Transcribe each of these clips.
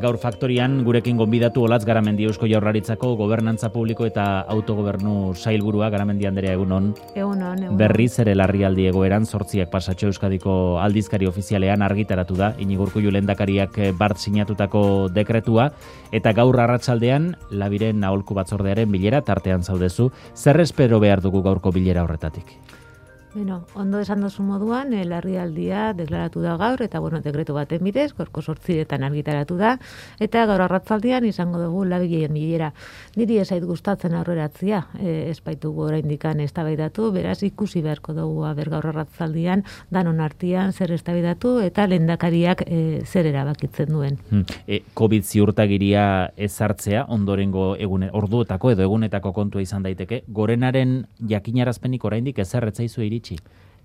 Gaur faktorian gurekin gonbidatu Olatz Garamendi Eusko Jaurlaritzako Gobernantza Publiko eta Autogobernu Sailburua. Garamendi Anderea, egunon. Egunon. Berriz ere larrialdi egoeran 8 pasatxo Euskadiko aldizkari ofizialean argitaratu da Iñigo Urkullu lehendakariak bart sinatutako dekretua, eta gaur arratsaldean Labiren aholku batzordearen bilera tartean zaudezu. Zer espero behar dugu gaurko bilera horretatik? Bueno, ondo esan dozu moduan, larrialdia deklaratu da gaur, eta dekretu baten bidez, gaurko 8etan argitaratu da, eta gaur arratzaldian izango dugu Labiren bilera. Niri ez zait gustatzen aurreratzia, ez baitugu oraindikan eztabaidatu, beraz ikusi beharko dugu gaur arratzaldian danon artean zer eztabaidatu eta lehendakariak zer erabakitzen duen. Covid ziurtagiria ezartzea ondorengo orduetako edo egunetako kontua izan daiteke, gorenaren jakinarazpenik oraindik ezer ez zaizu iritsi?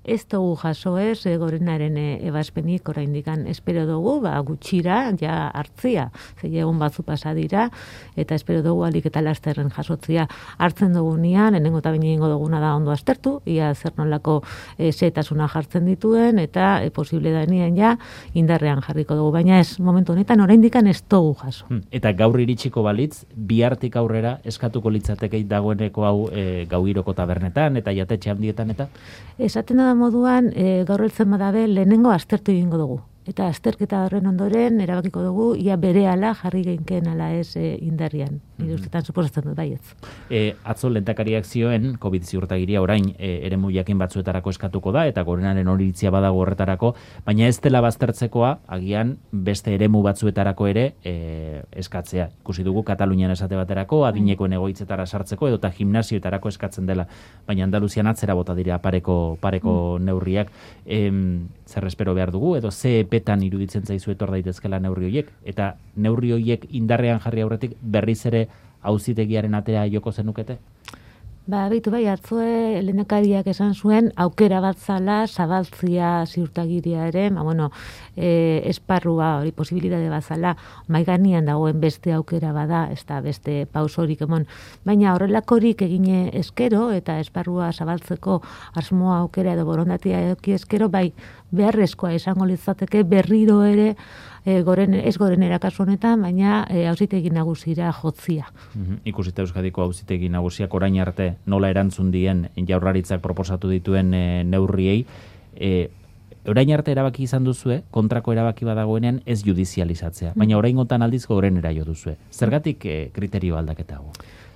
Ez dugu jaso gorenaren ebazpenik oraindikan espero dugu, gutxira ja hartzia, egun batzu pasa dira, eta espero dugu alik eta lasterren jasotzia hartzen dugunean, lehenengo eta behin egingo duguna da ondo aztertu, ia zer nolako zehetasuna jartzen dituen, eta posible danean ja indarrean jarriko dugu, baina ez, momentu honetan oraindikan ez dugu jaso. Eta gaur iritsiko balitz, bihartik aurrera eskatuko litzateke dagoeneko hau gauiroko tabernetan eta jatetxe handietan eta? Esaten da moduan, gaur heltzen badabe, lehenengo aztertu egingo dugu. Eta azterketa horren ondoren, erabakiko dugu, ia berehala jarri geinken ala ez indarrian. Nire ustetan suposatzen dut baietz. Atzo lehendakariak zioen, COVID ziurtagiria orain eremu jakin batzuetarako eskatuko da, eta gorenaren horitzia badago horretarako, baina ez dela baztertzekoa, agian beste eremu batzuetarako ere eskatzea. Ikusi dugu Katalunian esate baterako, adinekoen egoitzetara sartzeko, edota gimnasioetarako eskatzen dela, baina Andaluzian atzera bota dira pareko neurriak. Zer espero behar dugu, edo ze epetan iruditzen zaizu etor daitezkela neurri horiek, eta neurri horiek indarrean jarri aurretik berriz ere auzitegiaren atea joko zenukete? Beitu bai, atzue lehendakariak esan zuen aukera bat zala zabaltzia ziurtagiria ere, esparrua hori posibilitate bat zala, maiganean dagoen beste aukera bada, ez da beste pausorik emon, baina horrelakorik egine eskero eta esparrua zabaltzeko asmoa aukera edo borondatia eduki eskero, bai beharrezkoa izango litzateke berriro ere ez gorenera kasu honetan, baina auzitegi nagusira jotzia. Ikusita Euskadiko auzitegi nagusiak orain arte nola erantzun dien Jaurlaritzak proposatu dituen neurriei, orain arte erabaki izan duzue, kontrako erabaki badagoenean ez judizializatzea, baina oraingotan aldiz gorenera jo duzue. Zergatik kriterio aldaketa hau?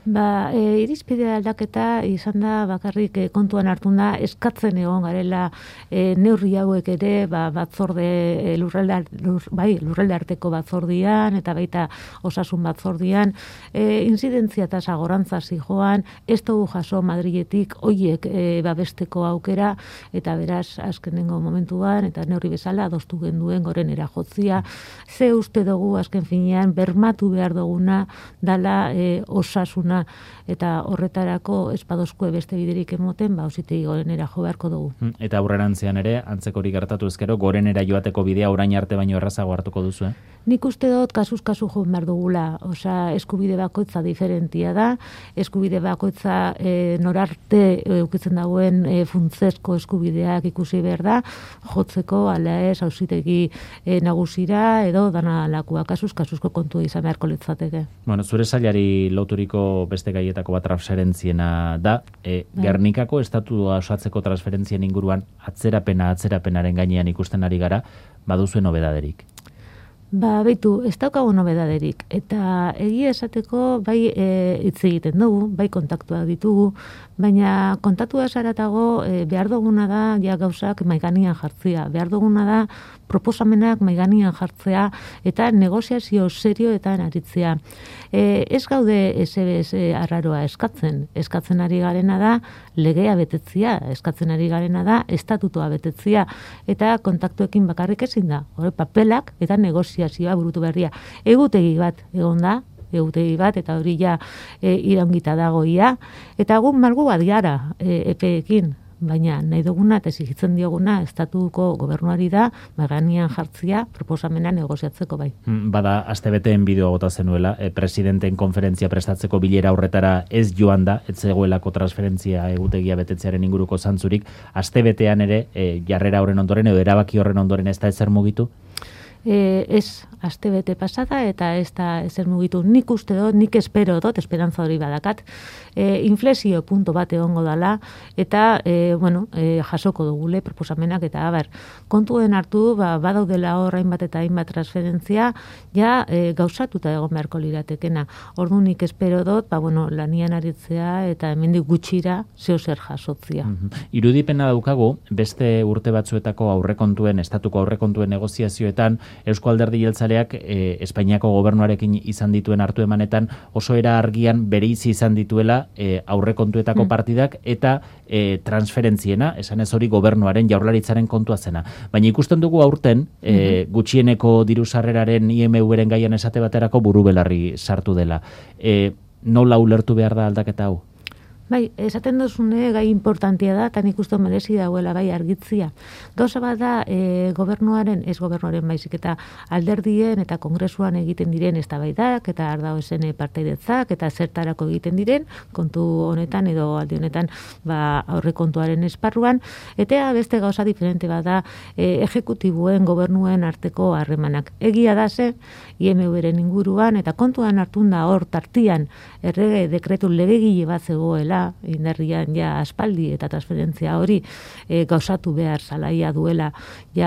Irizpide aldaketa izan da bakarrik kontuan hartun da eskatzen egon garela neurri hauek ere batzorde lurralde arteko batzordian eta baita osasun batzordian inzidentzia eta sagorantza zijoan, ez dugu jaso Madriletik hoiek babesteko aukera, eta beraz azkenengo momentuan eta neurri bezala adostu genduen gorenera jotzia. Ze uste dugu azken finean bermatu behar duguna dala osasuna, eta horretarako espadozkue beste biderik emoten, auzitegi gorenera jo beharko dugu. Eta aurrerantzean ere, antzekorik gertatu ezkero, gorenera joateko bidea orain arte baino errazago hartuko duzu, Nik uste dut kasuz kasu jo behar dugula, eskubide bakoitza diferentia da, eskubide bakoitza norarte eukitzen dagoen funtzezko eskubideak ikusi behar da, jotzeko ala ez auzitegi nagusira edo dana lakua kasuz kasuzko kontua izan beharko litzateke. Zure sailari loturiko beste gaietako bat transferentziena da, Gernikako estatua osatzeko transferentzien inguruan atzerapenaren gainean ikusten ari gara, baduzuen nobedaderik? Beitu, ez daukagu nobedaderik, eta egia esateko bai hitz egiten dugu, bai kontaktuak ditugu, baina kontaktua esaratago behar duguna da ja gauzak maiganean jartzea, behar duguna da proposamenak maiganean jartzea eta negoziazio serioetan aritzea. Ez gaude ez arraroa eskatzen ari garena da legea betetzea, eskatzen ari garena da estatutoa betetzea, eta kontaktuekin bakarrik ezin da, papelak eta negoziazioa burutu berria. Egutegi bat egon da, eta hori ja iraungita dagoia, eta egun malgu bat gara epeekin, baina nahi duguna eta exigitzen dioguna estatuko gobernuari da maiganean jartzea proposamena negoziatzeko bai. Bada astebeteen bideoa bota zenuela, presidenteen konferentzia prestatzeko bilera horretara ez joan da, ez zegoelako transferentzia egutegia betetzearen inguruko zantzurik, astebetean ere jarrera horren ondoren edo erabaki horren ondoren ez da ezer mugitu? Ez astebete pasada eta ez da ezer mugitu. Nik uste dut, nik espero dut, esperantza hori badakat, inflexio punto bat egongo dala eta jasoko dugule proposamenak eta kontuen hartu badaudela hor hainbat eta hainbat transferentzia gauzatuta egon beharko liratekena. Orduan nik espero dut lanian aritzea eta hemendik gutxira zer jasotzia. Irudipena daukagu beste urte batzuetako estatuko aurrekontuen negoziazioetan Eusko Alderdi Jeltzaleak Espainiako gobernuarekin izan dituen hartu emanetan oso era argian bereizi izan dituela aurrekontuetako partidak eta transferentziena, esan ez hori gobernuaren jaurlaritzaren kontua zena. Baina ikusten dugu aurten gutxieneko diru sarreraren IMV-ren gaian esate baterako buru belarri sartu dela. Nola ulertu behar da aldaketa hau? Bai, esaten duzune gai importantia da, eta nik uste merezi dagoela bai argitzia. Gauza bat da gobernuaren baizik eta alderdien eta kongresuan egiten diren eztabaidak eta ardaozen partaidetzak eta zertarako egiten diren kontu honetan edo aldi honetan aurrekontuaren esparruan, eta beste gauza diferente bat da ejekutibuen gobernuen arteko harremanak. Egia da ze IMV-ren inguruan eta kontuan hartun da hor tartian errege dekretu legegile bat zegoela indarrian aspaldi eta transferentzia hori gauzatu behar zalaia duela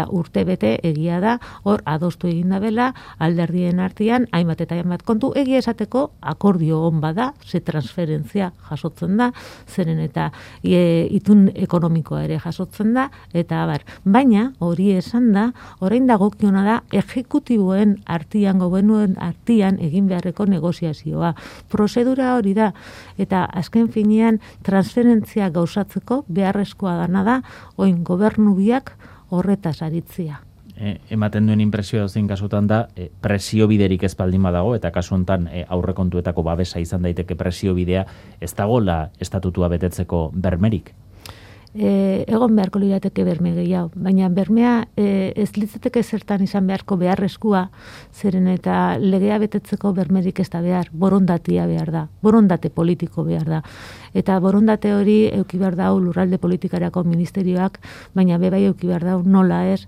urte bete, egia da hor adostu egin dabela alderdien artean hainbat eta hainbat kontu, egia esateko akordio on bada, ze transferentzia jasotzen da, zeren eta itun ekonomikoa ere jasotzen da, eta baina hori esan da, orain dagokiona da ejekutiboen artean, gobernuen artean egin beharreko negoziazioa. Prozedura hori da, eta azken finean transferentzia gauzatzeko beharrezkoa dana da, oin gobernu biak horretaz aritzia. Ematen duen inpresioa zein kasutan da, presio biderik ez baldin badago, eta kasu honetan aurrekontuetako babesa izan daiteke presio bidea, ez dagoela estatutua betetzeko bermerik? Egon beharko lirateke berme gehiago, baina bermea ez litzateke zertan izan beharko beharrezkoa, zeren eta legea betetzeko bermerik ez da behar, borondatia behar da, borondate politiko behar da. Eta borondate hori euki behar dau lurralde politikarako ministerioak, baina bebai euki behar dau nola ez,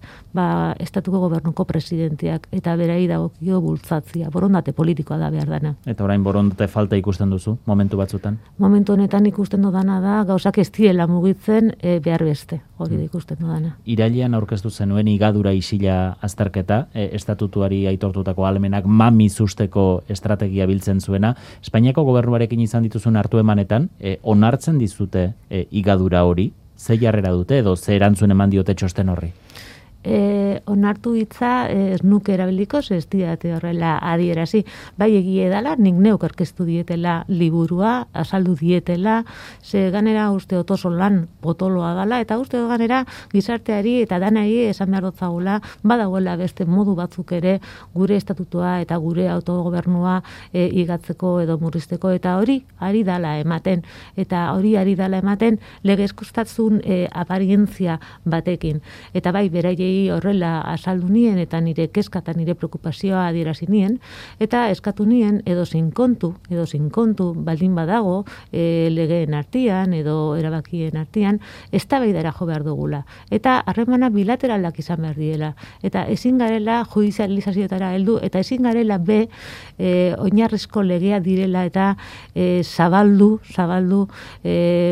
estatuko gobernuko presidenteak, eta berai dagokio bultzatzia, borondate politikoa da behar dana. Eta orain borondate falta ikusten duzu, momentu batzutan? Momentu honetan ikusten dudana da, gauzak ez direla mugitzen behar beste, hori da ikusten dudana. Irailean aurkeztu zenuen igadura isila azterketa, estatutuari aitortutako ahalmenak mamizusteko estrategia biltzen zuena. Espainiako gobernuarekin izan dituzun hartu emanetan, onartzen dizute igadura hori, ze jarrera dute edo ze erantzun eman diote txosten horri? Onartu hitza ez nuke erabiliko, ez didate horrela adierazi. Bai egie dela, nik neuk aurkeztu dietela liburua, azaldu dietela, ze ganera uste otoso lan potoloa dela, eta uste ganera gizarteari eta danai esan behar dotzagula, badagoela beste modu batzuk ere gure estatutua eta gure autogobernua igatzeko edo murrizteko, eta hori ari dala ematen, eta hori ari dala ematen legezkostatzun aparientzia batekin. Eta bai, beraiei horrela azaldu nien eta nire kezka eta nire preokupazioa adierazi nien, eta eskatu nien edo sin kontu baldin badago legeen artean edo erabakien artean eztabaidara jo behar dugula. Eta harremana bilateralak izan behar diela. Eta ezin garela judizializazioetara heldu eta ezin garela oinarrizko legea direla eta zabaldu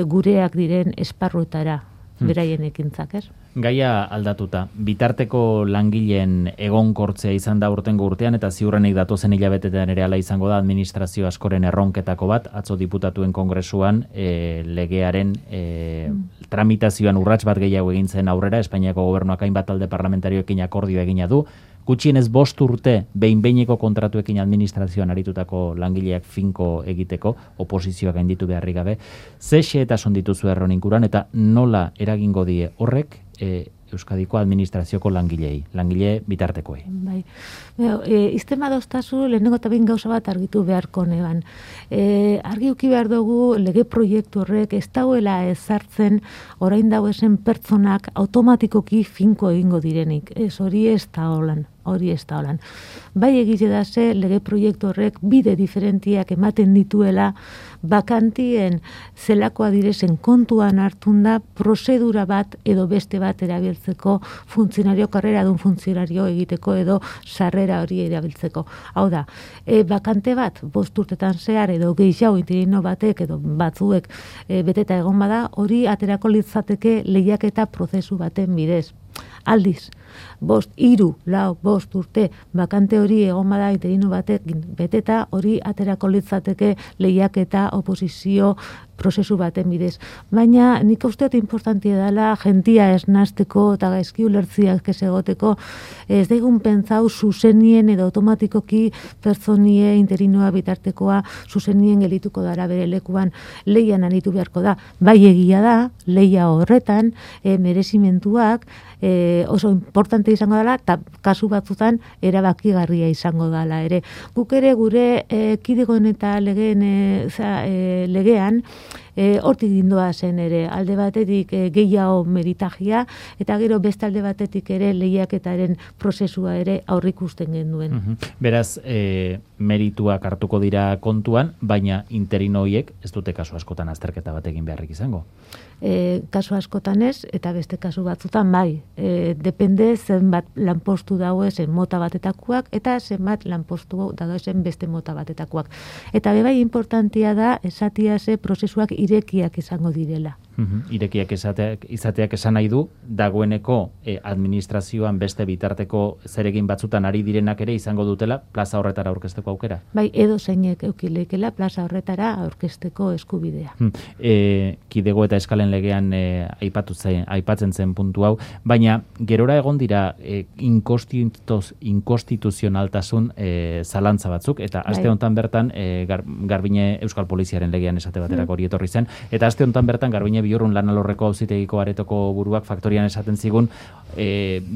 gureak diren esparruetara beraien ekintzak, ez? Gaia aldatuta, bitarteko langileen egonkortzea izan da urtengo urtean eta ziurrenik datozen hilabetetan ere hala izango da administrazio askoren erronketako bat, atzo diputatuen kongresuan legearen tramitazioan urrats bat gehiago egin zen aurrera, Espainiako gobernuak hainbat talde parlamentarioekin akordioa egina du, gutxienez 5 urte behin-behineko kontratuekin administrazioan aritutako langileak finko egiteko, oposizioak gainditu beharrik gabe, ze xehetasun dituzu erron inguruan eta nola eragingo die horrek Euskadiko administrazioko langile bitartekoei. Bai. Iztema doztazu, lehenengo eta behin gauza bat argitu beharko neban. Argi uki behar dugu lege proiektu horrek ez dagoela ezartzen orain dago esen pertsonak automatikoki finko egingo direnik. Ez hori ez da holan. hori ez da holan. Bai egite da ze lege proiektu horrek bide diferentiak ematen dituela bakantien zelakoa direzen kontuan hartun da prozedura bat edo beste bat erabiltzeko funtzionario, karreradun funtzionario egiteko edo sarrera hori erabiltzeko. Hau da, bakante bat 5 urtetan zehar edo gehiago interino batek edo batzuek beteta egon bada, hori aterako litzateke lehiaketa prozesu baten bidez. Aldiz, 5, 3, 4, 5 urte bakante hori egon bada interino batek beteta, hori aterako litzateke lehiaketa oposizio prozesu baten bidez. Baina nik uste dut importantia dela jentia esnazteko eta gaizki ulertziak ez egoteko, ez daigun pentsau zuzenien edo automatikoki pertsonie interinoa bitartekoa zuzenien gelituko dara bere lekuan leian aritu beharko da. Bai egia da, leia horretan merezimentuak oso importante izango dela eta kasu batzutan erabakigarria izango dela ere. Guk ere gure kidegoen eta legean hortik gindoa zen ere, alde batetik gehiago meritagia, eta gero beste alde batetik ere lehiaketaren prozesua ere aurrikusten genuen. Beraz, merituak hartuko dira kontuan, baina interino horiek ez dute kasu askotan azterketa bat egin beharrik izango. Kasu askotan ez, eta beste kasu batzutan bai. Depende zenbat lanpostu dauezen mota batetakoak, eta zenbat lanpostu dauezen beste mota batetakoak. Eta bebai importantia da, esatia ze prozesuak irekiak izango direla. Irekiak izateak esan nahi du, dagoeneko administrazioan beste bitarteko zeregin batzutan ari direnak ere izango dutela plaza horretara aurkezteko aukera? Bai, edo zeinek eukileikela plaza horretara aurkezteko eskubidea. Kidego eta eskalen legean aipatzen zen puntu hau, baina gerora egon dira inkonstituzionaltasun zalantza batzuk, eta aste honetan bertan Garbine Euskal Poliziaren legean esate baterako hori etorri zen, eta aste honetan bertan Garbine Biurrun Lanalorreko auzitegiko aretoko buruak faktorian esaten zigun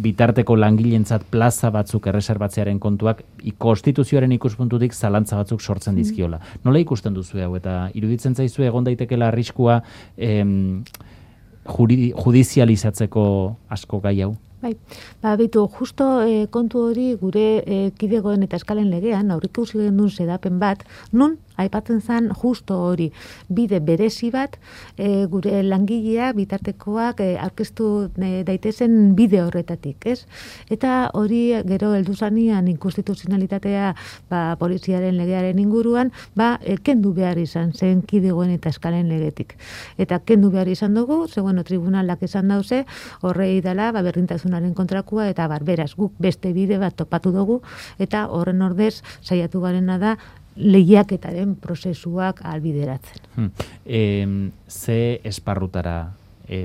bitarteko langileentzat plaza batzuk erreserbatzearen kontuak konstituzioaren ikuspuntutik zalantza batzuk sortzen dizkiola. Nola ikusten duzu hau, eta iruditzen zaizu egon daitekela arriskua judizializatzeko asko gai hau? Bai, bitu, justo kontu hori gure kidegoen eta eskalen legean aurrikusi gendun sedapen bat, nun aipatzen zen justo hori, bide berezi bat gure langilea bitartekoak aurkeztu daitezen bide horretatik, ez? Eta hori gero heldu zanian inkonstituzionalitatea poliziaren legearen inguruan, kendu behar izan zen kidegoen eta eskalen legetik. Eta kendu behar izan dugu, tribunalak esan dauze, horrei dela berdintasunaren kontrakoa, eta beraz guk beste bide bat topatu dugu, eta horren ordez saiatu garena da lehiaketaren prozesuak albideratzen. Ze esparrutara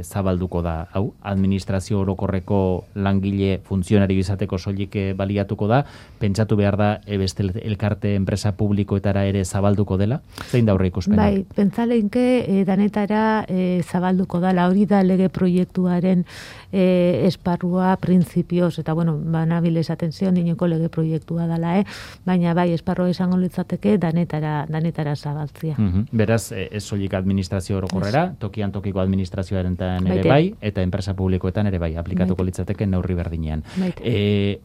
zabalduko da, hau, administrazio orokorreko langile funtzionari izateko soilik baliatuko da, pentsatu behar da beste elkarte enpresa publikoetara ere zabalduko dela? Zein da horre ikuspena? Bai, pentsaleinke danetara zabalduko dela, hori da lege proiektuaren esparrua printzipioz, eta banabil esaten zion inoko lege proiektua dela, baina bai, esparrua izango litzateke danetara zabaltzia. Beraz, ez soilik administrazio orokorrera, tokian tokiko administrazioaren ere bai, eta enpresa publikoetan ere bai, aplikatuko litzateke neurri berdinean.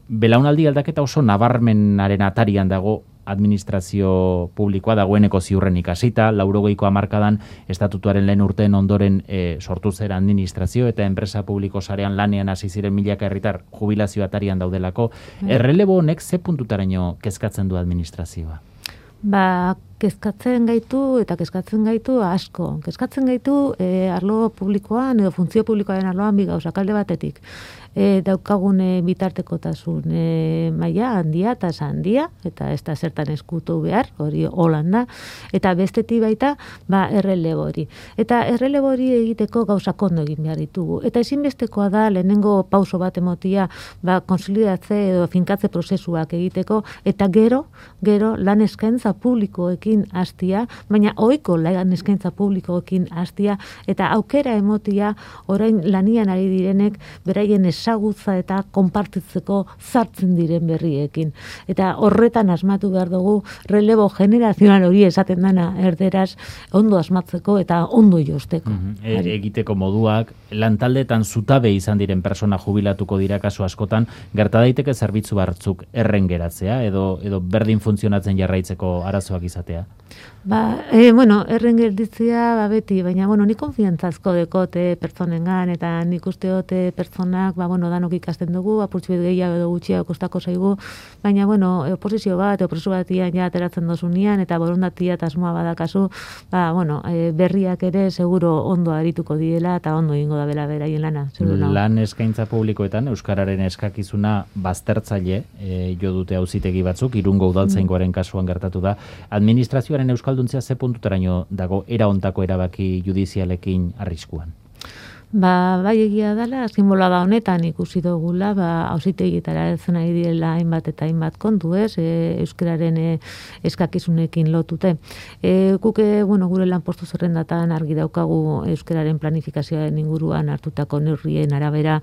Belaunaldi aldaketa oso nabarmenaren atarian dago administrazio publikoa, dagoeneko ziurren ikasita, 80ko hamarkadan estatutuaren lehen urteen ondoren sortu zera administrazio eta enpresa publiko sarean lanean hasi ziren milaka herritar jubilazio atarian daudelako. Errelebo honek ze puntutaraino kezkatzen du administrazioa? Kezkatzen gaitu asko. Kezkatzen gaitu arlo publikoan edo funtzio publikoaren arloan bi gauzak, alde batetik. Daukagun bitartekotasun maila handia eta handia, eta ez da zertan eskutu behar, hori Holanda, eta bestetik baita errelebo hori. Eta errelebo hori egiteko gauzak ondo egin behar ditugu. Eta ezinbestekoa da lehenengo pauso bat emotia konsolidatze edo finkatze prozesuak egiteko, eta gero lan eskaintza publikoek publikoekin hastia, baina ohiko lan eskaintza publikoekin hastia, eta aukera emotia orain lanian ari direnek beraien ezagutza eta konpartitzeko sartzen diren berriekin. Eta horretan asmatu behar dugu relebo generazional hori esaten dana erderaz ondo asmatzeko eta ondo josteko. Egiteko moduak, lantaldeetan zutabe izan diren persona jubilatuko dira kasu askotan, gerta daiteke zerbitzu batzuk erren geratzea edo berdin funtzionatzen jarraitzeko arazoak izatea? Erren gelditzea beti, baina ni konfiantzazko dekote pertsonengan eta nik usteote pertsonak, danok ikasten dugu, apurtxu bet gehiago edo gutxiago kostako zaigu, baina oposizio bat, opresu batian ja ateratzen dozunean eta borondatia eta asmoa badakazu, berriak ere seguro ondo arituko diela eta ondo egingo da bera beraien lana. Lan eskaintza publikoetan euskararen eskakizuna baztertzaile jo dute auzitegi batzuk, Irungo udaltzaingoaren kasuan gertatu da. Administrazioaren euskalduntzia ze puntuteraino dago era hontako erabaki judizialekin arriskuan? Bai egia dela, azken bolada honetan ikusi dugula, auzitegietara heltzen ari direla hainbat eta hainbat kontu, euskararen eskakizunekin lotute. Guk gure lanpostu zerrendatan argi daukagu euskararen planifikazioaren inguruan hartutako neurrien arabera,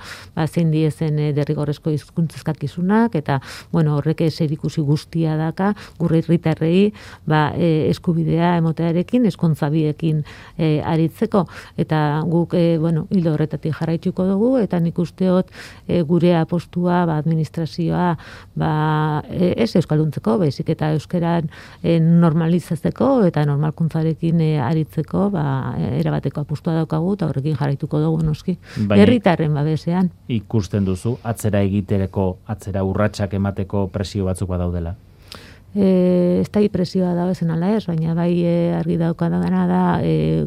zein diezen derrigorrezko hizkuntza eskakizunak eta horrek zerikusi guztia daka gure herritarrei eskubidea emotearekin, ezkontza biekin aritzeko, eta guk hildo horretatik jarraituko dugu, eta nik usteot gure apostua, administrazioa, ez euskalduntzeko, baizik eta euskeran normalizatzeko eta normalkuntzarekin aritzeko, erabateko apostua daukagu, eta horrekin jarraituko dugu noski. Herritarren babesean. Ikusten duzu, atzera urratsak emateko presio batzuk badaudela? Ez da presioa da ezen ala ez, baina bai argi daukadana da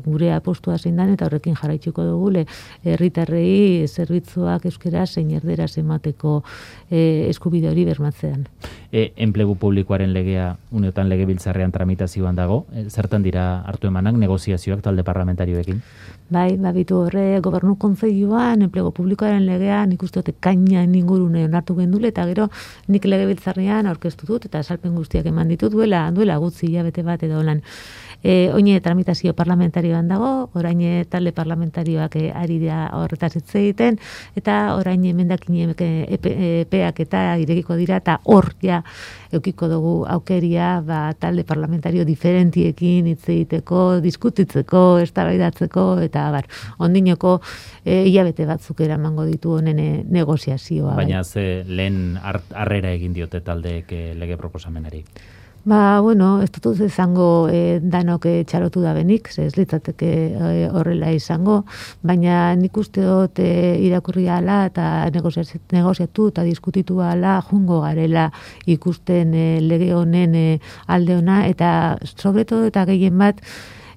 gure apostua zein dan eta horrekin jarraituko dugu herritarrei zerbitzuak euskera zein erderaz emateko eskubide hori bermatzean. Enplegu publikoaren legea uneotan legebiltzarrean tramitazioan dago, zertan dira hartu emanak negoziazioak talde parlamentarioekin? Bai, bitu horre, gobernu kontseiluan, enplegu publikoaren legean, nik uste kaina ingurune onartu gendule, eta gero nik legebiltzarrean aurkeztu dut, eta esalpen guztiak eman ditut duela gutzi hilabete bat edo lan. Oine tramitazio parlamentarioan dago, orain talde parlamentarioak ari da horretaz hitz egiten, eta orain emendakinek epeak eta irekiko dira, eta hor ja eukiko dugu aukeria talde parlamentario diferentiekin hitz egiteko, diskutitzeko, eztabaidatzeko, eta ondinoko hilabete batzuk eramango ditu honen negoziazioa. Baina ze lehen harrera egin diote taldeek lege proposamenari? Ez dut izango danok txalotu da benik, ez litzateke horrela izango, baina nik uste dut irakurri ala eta negoziatu eta diskutitu ala jungo garela ikusten lege honen alde ona, eta sobretodo eta gehien bat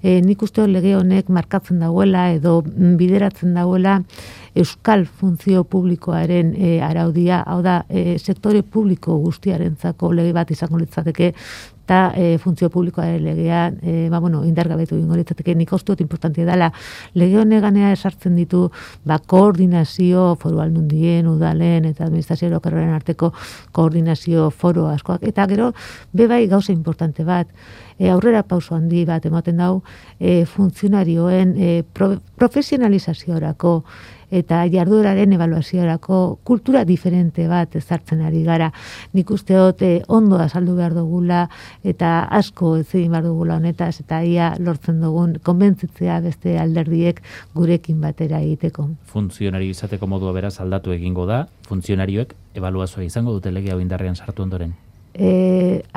nik uste dut lege honek markatzen dagoela edo bideratzen dagoela euskal funtzio publikoaren araudia, hau da, sektore publiko guztiarentzako lege bat izango litzateke, eta funtzio publikoaren legean indargabetu ingo litzateke. Nik uste dut importantia dela, lege honeganea esartzen ditu koordinazio foru aldundien, udalen eta administrazio orokorraren arteko koordinazio foro askoak, eta gero bebai gauza importante bat, aurrera pauso handi bat ematen dau funtzionarioen profesionalizaziorako eta jardueraren ebaluaziorako kultura diferente bat ezartzen ari gara. Nik uste dut ondo azaldu behar dugula eta asko ez egin behar dugula honetaz, eta ia lortzen dugun konbentzitzea beste alderdiek gurekin batera egiteko. Funtzionario izateko modua beraz aldatu egingo da, funtzionarioek ebaluazioa izango dute lege hau indarrean sartu ondoren?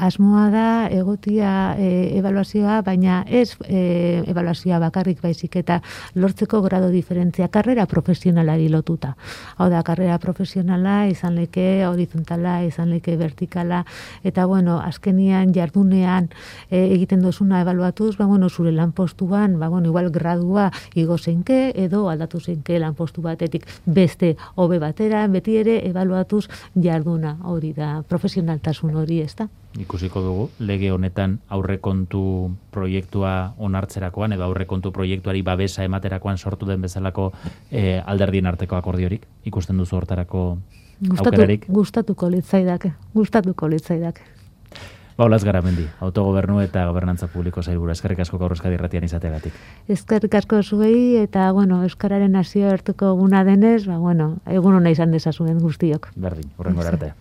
Asmoa da egotia ebaluazioa, baina ez ebaluazioa bakarrik baizik eta lortzeko grado diferentzia karrera profesionalari lotuta. Hau da, karrera profesionala izan leke horizontala, izan leke vertikala, eta azkenian jardunean egiten dozuna ebaluatuz, zure lanpostuan, igual gradua igo zeinke edo aldatu zeinke lanpostu batetik beste hobe batera, beti ere ebaluatuz jarduna hori da, profesionaltasun hori. Ikusiko dugu, lege honetan aurrekontu proiektua onartzerakoan edo aurrekontu proiektuari babesa ematerakoan sortu den bezalako alderdien arteko akordiorik, ikusten duzu hortarako aukerarik? Gustatuko litzaidake. Olaz Garamendi, autogobernu eta gobernantza publiko sailburu. Eskerrik asko gaur Euskadi Irratian izateagatik. Eskerrik asko zuei eta, euskararen nazioarteko eguna denez, egun ona izan dezazuen guztiok. Berdin, hurrengora arte.